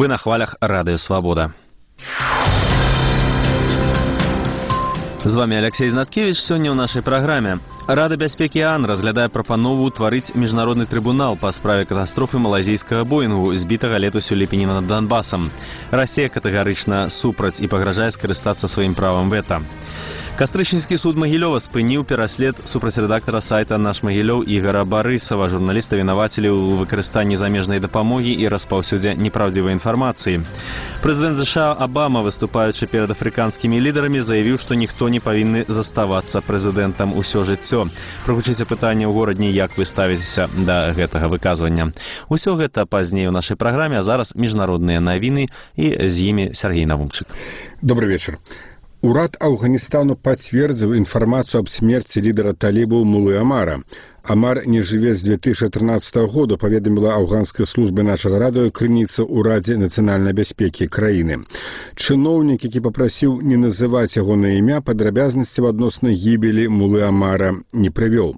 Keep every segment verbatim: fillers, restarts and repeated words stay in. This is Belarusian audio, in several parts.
Вы на хвалях Радыё Свабода. З вами Алексей Знаткевич. Сёння ў нашай праграме. Рада бяспекі ААН разглядае прапанову ўтварыць міжнародны трыбунал па справе катастрофы малайзійскага боінгу, збітага летась у ліпені над Донбасам. Расія катэгарычна супраць і пагражае скарыстацца сваім правам вета. Кастрычніцкі суд Магілёва спыніў пераслед супраць рэдактара сайта «Наш Магілёў» Ігара Барысава. Журналіста вінавацілі ў выкарыстанні замежнай дапамогі і распаўсюдзе непраўдзівай інфармацыі. Прэзідэнт ЗША Абама, выступаючы перад афрыканскімі лідарамі, заявіў, што ніхто не павінны заставацца прэзідэнтам усё жыццё. Прагучыце пытанне ў горадні, як вы ставіцеся да гэтага выказвання. Усё гэта пазней у нашай праграме, а зараз міжнародныя навіны, і з імі Сергей Навумчык. Добрый вечер. Урад Афганістану пацвердзіў інфармацыю аб смерці лідара талібаў Мулы Амара. Амар не жыве з две тысячи тринадцатого года, паведаміла афганскай службе нашага радыё крыніца ў Радзе нацыянальнай бяспекі краіны. Чыноўнік, які папрасіў не называць ягонае імя, падрабязнасцяў адносна гібелі Мулы Амара не прывёў.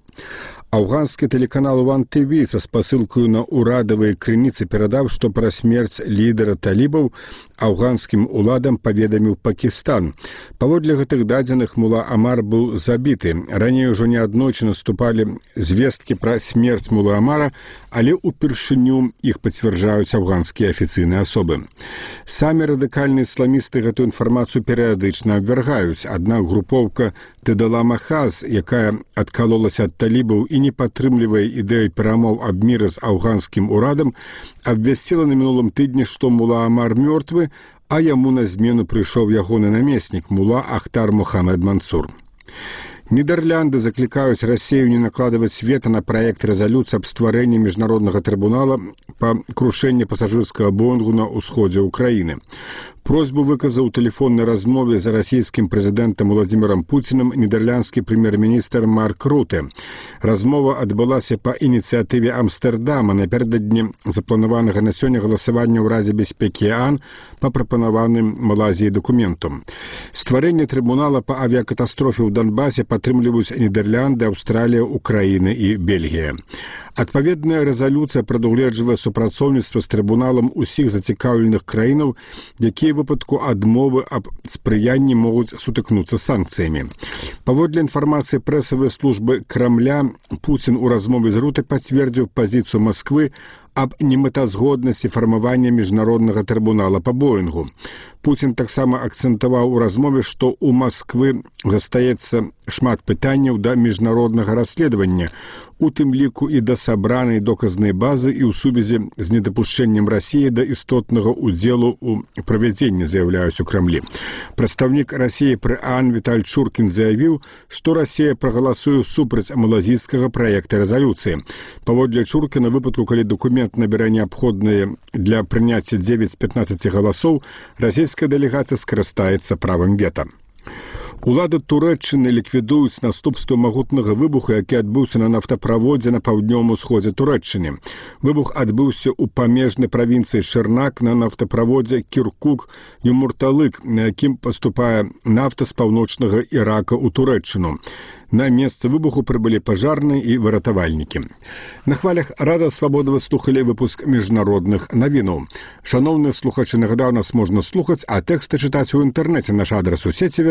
Афганскі тэлеканал Ван ТВ са спасылкаю на урадавыя крыніцы перадаў, што пра смерць лідара талібаў афганскім уладам паведаміў Пакістан. Паводле гэтых дадзеных, Мула Амар быў забіты. Раней ужо неаднойчы наступалі звесткі пра смерць Мулы Амара, але ўпершыню іх пацвярджаюць афганскія афіцыйныя асобы. Самі радыкальныя ісламісты гэтую інфармацыю перыядычна абвяргаюць. Аднак групоўка Тэдала Махаз, якая адкалолася ад талібаў і не падтрымлівае ідэю перамоў аб міры з афганскім урадам, абвясціла на мінулым тыдні, што Мула Амар мёртвы, а яму на змену прыйшоў ягоны намеснік Мула Ахтар Мухаммед Мансур. Нідерлянды заклікаюць Расію не накладваць вета на праект рэзалюцыі аб стварэнні міжнароднага трыбунала па крушэнні пасажырскага боінгу на ўсходзе ўкраіны. Просьбу выказаў у тэлефоннай размове з расійскім прэзідэнтам Владзімірам Пуцінам нідерландскі прэм'ер-міністр Марк Руте. Размова адбылася па ініцыятыве Амстэрдама напярэдадні запланаванага на сёння галасавання ў Радзе бяспекі ААН па прапанаваным Малайзіяй дакументу. Стварэнне трыбунала па авіякатастрофе ў Донбасе падтрымліваюць Нідерланды, Аўстралія, Украіна і Бельгія. Адпаведная рэзалюцыя прадугледжвае супрацоўніцтва з трыбуналам усіх зацікаўленых краінаў, якія ў выпадку адмовы аб спрыянні могуць сутыкнуцца санкцыямі. Паводле інфармацыі прэсавай службы Крамля, Пуцін у размове з Руте пацвердзіў пазіцыю Масквы аб немэтазгоднасці фармавання міжнароднага трыбунала па боінгу. Пуцін таксама акцэнтаваў у размове, што ў Масквы застаецца шмат пытанняў да міжнароднага расследавання, у тым ліку і да сабранай доказнай базы і ў сувязі з недапушчэннем Расіі да істотнага ўдзелу ў правядзенні, заяўляюць у Крамлі. Прадстаўнік Расіі пры ААН Віталь Чуркін заявіў, што Расія прагаласуе супраць малазійскага праекта рэзалюцыі. Паводле Чуркіна, выпадку, калі дакумент набярэ неабходныя для прыняцця дзевяць з пятнаццаці галасоў, расійская дэлегацыя скарыстаецца правам вета. Улады Турэччыны ліквідуюць наступствы магутнага выбуху, які адбыўся на нафтаправодзе на паўднёвым усходзе Турэччыны. Выбух адбыўся ў памежнай правінцыі Шырнак на нафтаправодзе Кіркук-Юмурталык, на якім паступае нафта з паўночнага Ірака ў Турэччыну. На месца выбуху прыбылі пажарныя і выратавальнікі. На хвалях Радыё Свабода вы слухалі выпуск міжнародных навінаў. Шаноўныя слухачы, нагадаю, нас можна слухаць, а тэксты чытаць у інтэрнэце. Наш адрас у сеціве